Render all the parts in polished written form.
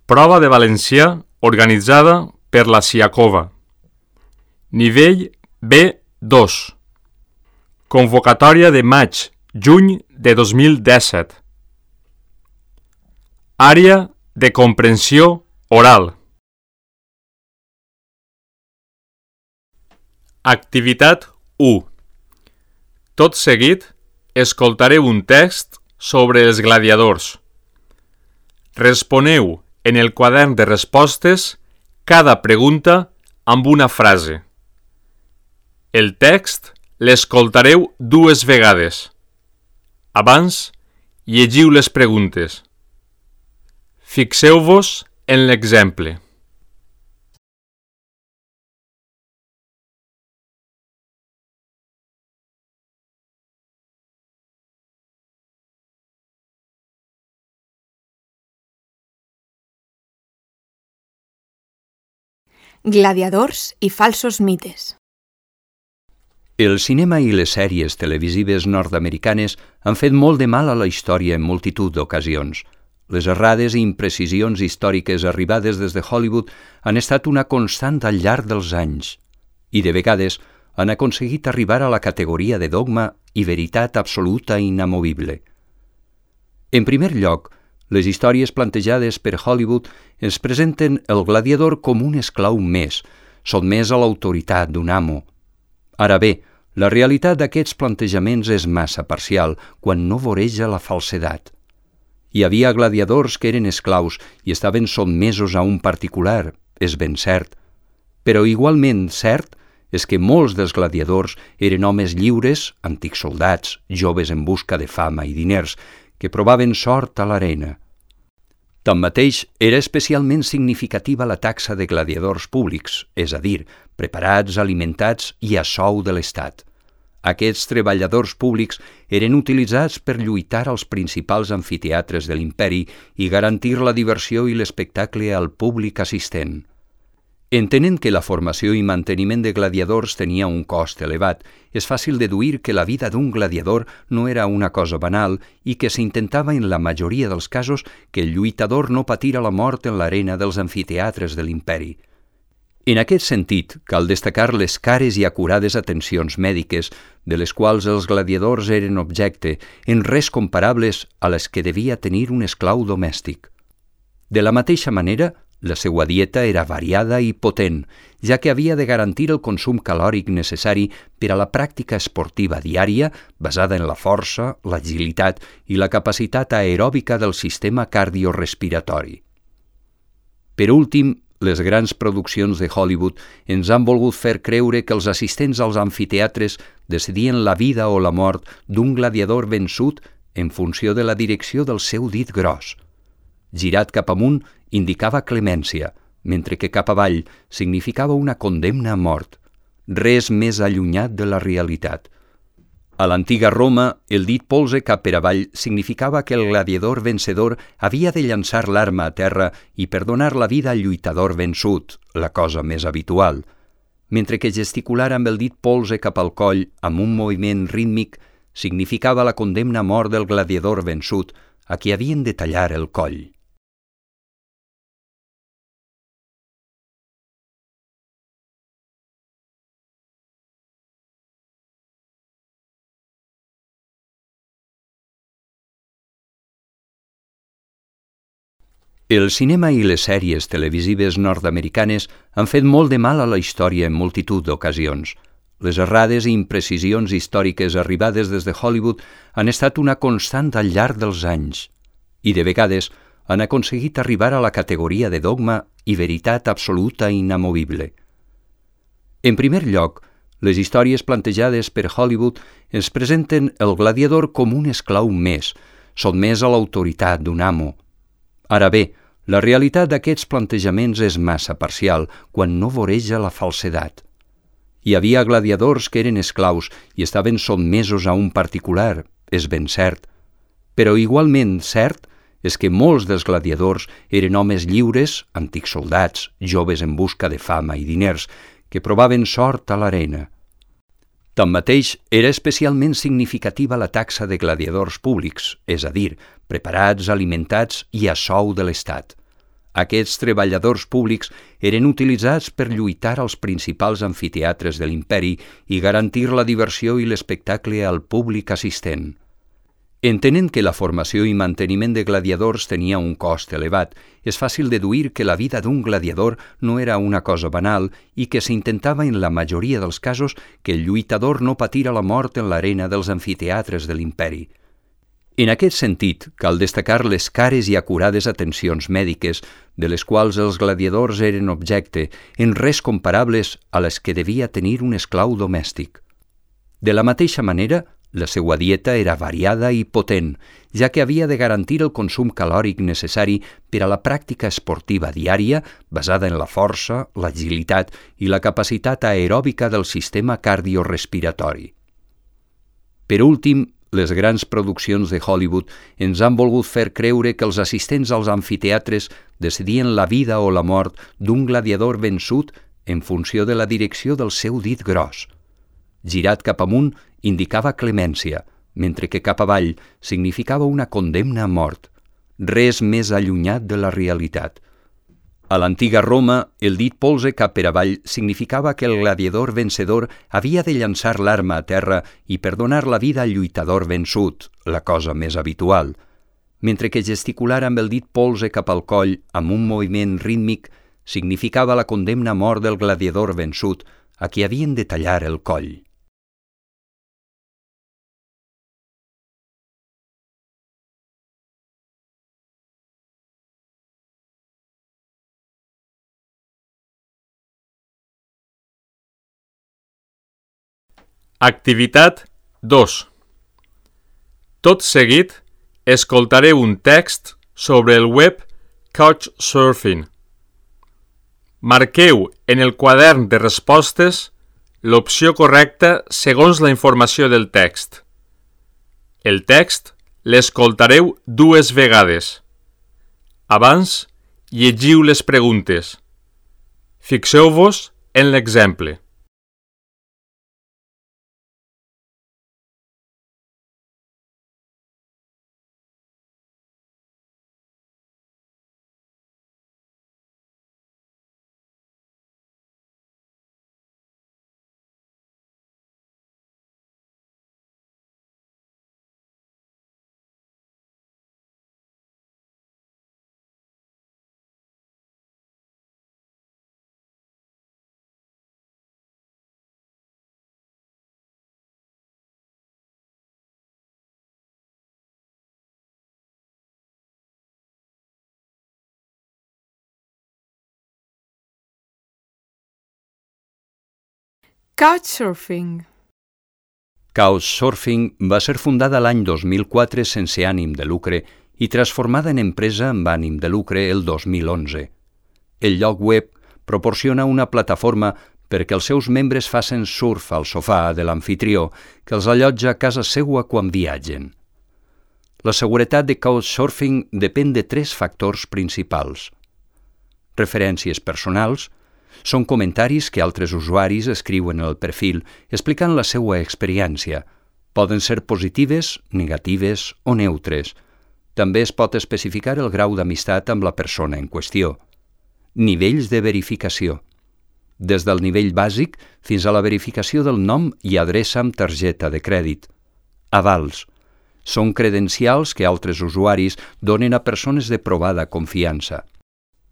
Prova de valencià organitzada per la Siakova. Nivell B2. Convocatòria de maig-juny de 2017. Àrea de comprensió oral. Activitat 1. Tot seguit, escoltareu un text sobre els gladiadors. Responeu en el quadern de respostes cada pregunta amb una frase. El text l'escoltareu 2 vegades. Abans, llegiu les preguntes. Fixeu-vos en l'exemple. Gladiadors i falsos mites. El cinema i les sèries televisives nord-americanes han fet molt de mal a la història en multitud d'ocasions. Les errades i imprecisions històriques arribades des de Hollywood han estat una constant al llarg dels anys i, de vegades, han aconseguit arribar a la categoria de dogma i veritat absoluta i inamovible. En primer lloc, les històries plantejades per Hollywood ens presenten el gladiador com un esclau més, sotmès a l'autoritat d'un amo. Ara bé, la realitat d'aquests plantejaments és massa parcial quan no voreja la falsedat. Hi havia gladiadors que eren esclaus i estaven sotmesos a un particular, és ben cert. Però igualment cert és que molts dels gladiadors eren homes lliures, antics soldats, joves en busca de fama i diners, que provaven sort a l'arena. Tanmateix, era especialment significativa la taxa de gladiadors públics, és a dir, preparats, alimentats i a sou de l'Estat. Aquests treballadors públics eren utilitzats per lluitar als principals amfiteatres de l'imperi i garantir la diversió i l'espectacle al públic assistent. Entenent que la formació i manteniment de gladiadors tenia un cost elevat, és fàcil deduir que la vida d'un gladiador no era una cosa banal i que s'intentava en la majoria dels casos que el lluitador no patira la mort en l'arena dels amfiteatres de l'imperi. En aquest sentit, cal destacar les cares i acurades atencions mèdiques de les quals els gladiadors eren objecte, en res comparables a les que devia tenir un esclau domèstic. De la mateixa manera, la seva dieta era variada i potent, ja que havia de garantir el consum calòric necessari per a la pràctica esportiva diària basada en la força, l'agilitat i la capacitat aeròbica del sistema cardiorespiratori. Per últim, les grans produccions de Hollywood ens han volgut fer creure que els assistents als amfiteatres decidien la vida o la mort d'un gladiador vençut en funció de la direcció del seu dit gros. Girat cap amunt indicava clemència, mentre que cap avall significava una condemna a mort. Res més allunyat de la realitat. A l'antiga Roma, el dit polze cap per avall significava que el gladiador vencedor havia de llançar l'arma a terra i perdonar la vida al lluitador vençut, la cosa més habitual, mentre que gesticular amb el dit polze cap al coll amb un moviment rítmic significava la condemna a mort del gladiador vençut, a qui havien de tallar el coll. El cinema i les sèries televisives nord-americanes han fet molt de mal a la història en multitud d'ocasions. Les errades i imprecisions històriques arribades des de Hollywood han estat una constant al llarg dels anys i, de vegades, han aconseguit arribar a la categoria de dogma i veritat absoluta i inamovible. En primer lloc, les històries plantejades per Hollywood ens presenten el gladiador com un esclau més, sotmès a l'autoritat d'un amo. Ara bé, la realitat d'aquests plantejaments és massa parcial quan no voreja la falsedat. Hi havia gladiadors que eren esclaus i estaven sotmesos a un particular, és ben cert. Però igualment cert és que molts dels gladiadors eren homes lliures, antics soldats, joves en busca de fama i diners, que provaven sort a l'arena. Tanmateix, era especialment significativa la taxa de gladiadors públics, és a dir, preparats, alimentats i a sou de l'Estat. Aquests treballadors públics eren utilitzats per lluitar als principals amfiteatres de l'imperi i garantir la diversió i l'espectacle al públic assistent. Entenent que la formació i manteniment de gladiadors tenia un cost elevat, és fàcil deduir que la vida d'un gladiador no era una cosa banal i que s'intentava en la majoria dels casos que el lluitador no patira la mort en l'arena dels amfiteatres de l'imperi. En aquest sentit, cal destacar les cares i acurades atencions mèdiques de les quals els gladiadors eren objecte, en res comparables a les que devia tenir un esclau domèstic. De la mateixa manera, la seva dieta era variada i potent, ja que havia de garantir el consum calòric necessari per a la pràctica esportiva diària basada en la força, l'agilitat i la capacitat aeròbica del sistema cardiorespiratori. Per últim, les grans produccions de Hollywood ens han volgut fer creure que els assistents als amfiteatres decidien la vida o la mort d'un gladiador vençut en funció de la direcció del seu dit gros. Girat cap amunt indicava clemència, mentre que cap avall significava una condemna a mort. Res més allunyat de la realitat. A l'antiga Roma, el dit polze cap per avall significava que el gladiador vencedor havia de llançar l'arma a terra i perdonar la vida al lluitador vençut, la cosa més habitual, mentre que gesticular amb el dit polze cap al coll amb un moviment rítmic significava la condemna a mort del gladiador vençut, a qui havien de tallar el coll. Activitat 2. Tot seguit, escoltareu un text sobre el web Couchsurfing. Marqueu en el quadern de respostes l'opció correcta segons la informació del text. El text l'escoltareu 2 vegades. Abans, llegiu les preguntes. Fixeu-vos en l'exemple. Couchsurfing. Couchsurfing va ser fundada l'any 2004 sense ànim de lucre i transformada en empresa amb ànim de lucre el 2011. El lloc web proporciona una plataforma perquè els seus membres facin surf al sofà de l'amfitrió que els allotja a casa seua quan viatgen. La seguretat de Couchsurfing depèn de 3 factors principals. Referències personals, són comentaris que altres usuaris escriuen al perfil explicant la seva experiència. Poden ser positives, negatives o neutres. També es pot especificar el grau d'amistat amb la persona en qüestió. Nivells de verificació. Des del nivell bàsic fins a la verificació del nom i adreça amb targeta de crèdit. Avals. Són credencials que altres usuaris donen a persones de provada confiança.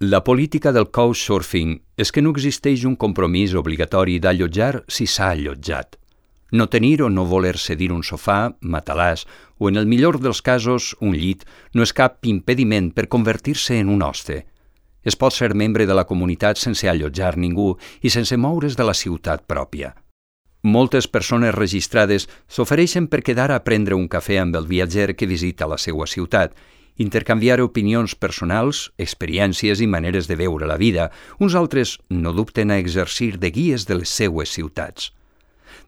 La política del Couchsurfing és que no existeix un compromís obligatori d'allotjar si s'ha allotjat. No tenir o no voler cedir un sofà, matalàs o, en el millor dels casos, un llit, no és cap impediment per convertir-se en un hoste. Es pot ser membre de la comunitat sense allotjar ningú i sense moure's de la ciutat pròpia. Moltes persones registrades s'ofereixen per quedar a prendre un cafè amb el viatger que visita la seva ciutat, intercanviar opinions personals, experiències i maneres de veure la vida. Uns altres no dubten a exercir de guies de les seues ciutats.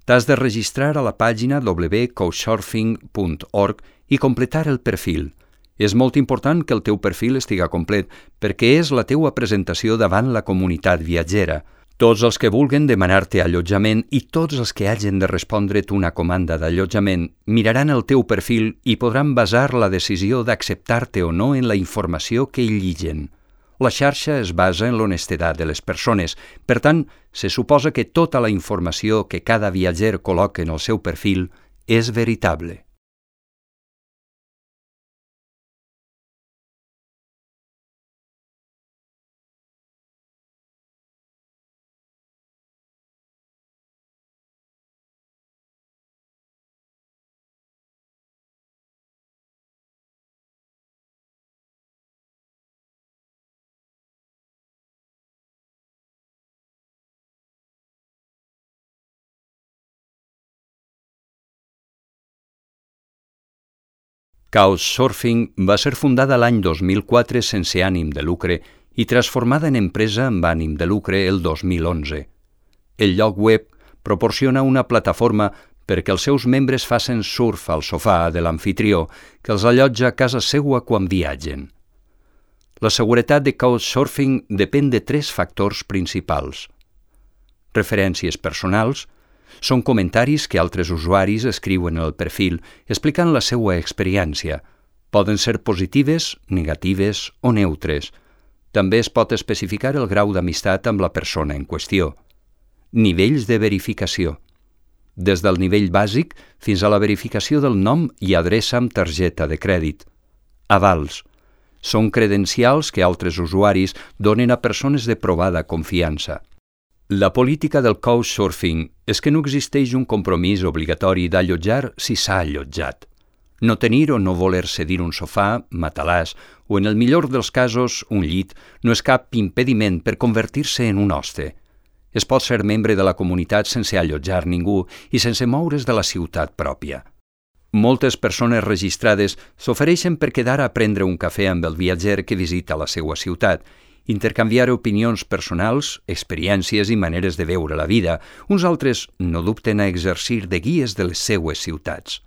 T'has de registrar a la pàgina www.couchsurfing.org i completar el perfil. És molt important que el teu perfil estiga complet perquè és la teua presentació davant la comunitat viatgera. Tots els que vulguen demanar-te allotjament i tots els que hagin de respondre't una comanda d'allotjament miraran el teu perfil i podran basar la decisió d'acceptar-te o no en la informació que hi lliguen. La xarxa es basa en l'honestedat de les persones. Per tant, se suposa que tota la informació que cada viatger col·loca en el seu perfil és veritable. Couchsurfing va ser fundada l'any 2004 sense ànim de lucre i transformada en empresa amb ànim de lucre el 2011. El lloc web proporciona una plataforma perquè els seus membres facin surf al sofà de l'amfitrió que els allotja a casa seua quan viatgen. La seguretat de Couchsurfing depèn de 3 factors principals. Referències personals, són comentaris que altres usuaris escriuen al perfil explicant la seva experiència. Poden ser positives, negatives o neutres. També es pot especificar el grau d'amistat amb la persona en qüestió. Nivells de verificació. Des del nivell bàsic fins a la verificació del nom i adreça amb targeta de crèdit. Avals. Són credencials que altres usuaris donen a persones de provada confiança. La política del Couchsurfing és que no existeix un compromís obligatori d'allotjar si s'ha allotjat. No tenir o no voler cedir un sofà, matalàs o, en el millor dels casos, un llit, no és cap impediment per convertir-se en un hoste. Es pot ser membre de la comunitat sense allotjar ningú i sense moure's de la ciutat pròpia. Moltes persones registrades s'ofereixen per quedar a prendre un cafè amb el viatger que visita la seva ciutat, intercanviar opinions personals, experiències i maneres de veure la vida. Uns altres no dubten a exercir de guies de les seues ciutats.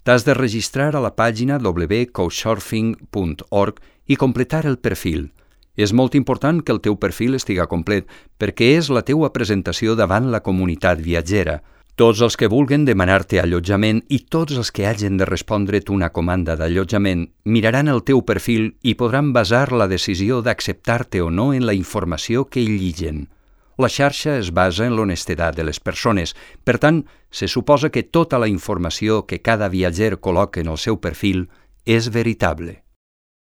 T'has de registrar a la pàgina www.couchsurfing.org i completar el perfil. És molt important que el teu perfil estiga complet perquè és la teua presentació davant la comunitat viatgera. Tots els que vulguen demanar-te allotjament i tots els que hagin de respondre't una comanda d'allotjament miraran el teu perfil i podran basar la decisió d'acceptar-te o no en la informació que hi lliguen. La xarxa es basa en l'honestedat de les persones. Per tant, se suposa que tota la informació que cada viatger col·loca en el seu perfil és veritable.